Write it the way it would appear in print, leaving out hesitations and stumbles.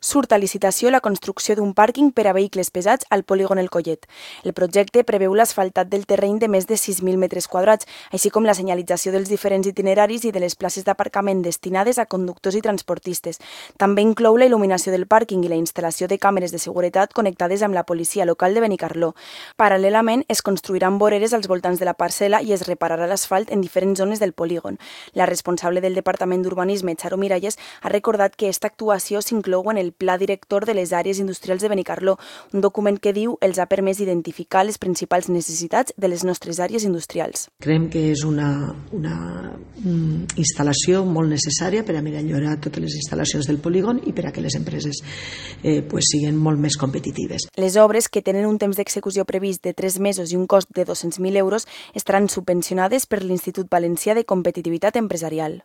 Surt a licitació la construcció d'un pàrquing per a vehicles pesats al polígon El Collet. El projecte preveu l'asfaltat del terreny de més de 6.000 metres quadrats, així com la senyalització dels diferents itineraris i de les places d'aparcament destinades a conductors i transportistes. També inclou la il·luminació del pàrquing i la instal·lació de càmeres de seguretat connectades amb la policia local de Benicarló. Paral·lelament, es construiran voreres als voltants de la parcel·la i es repararà l'asfalt en diferents zones del polígon. La responsable del Departament d'Urbanisme, Charo Miralles, ha recordat que aquesta actuació s'inclou en el Pla Director de les Àrees Industrials de Benicarló, un document que diu els ha permès identificar les principals necessitats de les nostres àrees industrials. Creiem que és una instal·lació molt necessària per a millorar totes les instal·lacions del polígon i per a que les empreses siguin molt més competitives. Les obres, que tenen un temps d'execució previst de 3 mesos i un cost de 200.000 euros, estaran subvencionades per l'Institut Valencià de Competitivitat Empresarial.